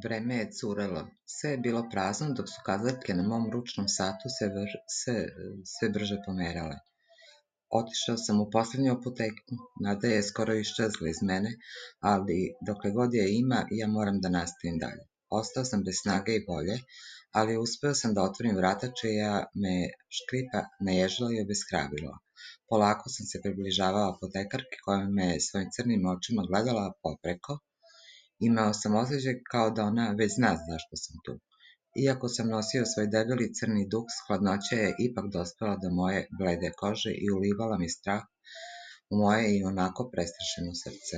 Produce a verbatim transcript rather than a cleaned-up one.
Vreme je curelo. Sve je bilo prazno, dok su kazaljke na mom ručnom satu se, vr, se, sve brže pomerale. Otišao sam u poslednju apoteku, nada je skoro iščezla iz mene, ali dokle god je ima, ja moram da nastavim dalje. Ostao sam bez snage i volje, ali uspeo sam da otvorim vrata čija me škripa naježila i obeshrabrila. Polako sam se približavao apotekarki koja me svojim crnim očima gledala popreko. Imao sam osjećaj kao da ona već zna zašto sam tu. Iako sam nosio svoj debeli crni duks, hladnoća je ipak dospela do moje blede kože i ulivala mi strah u moje i onako prestrašeno srce.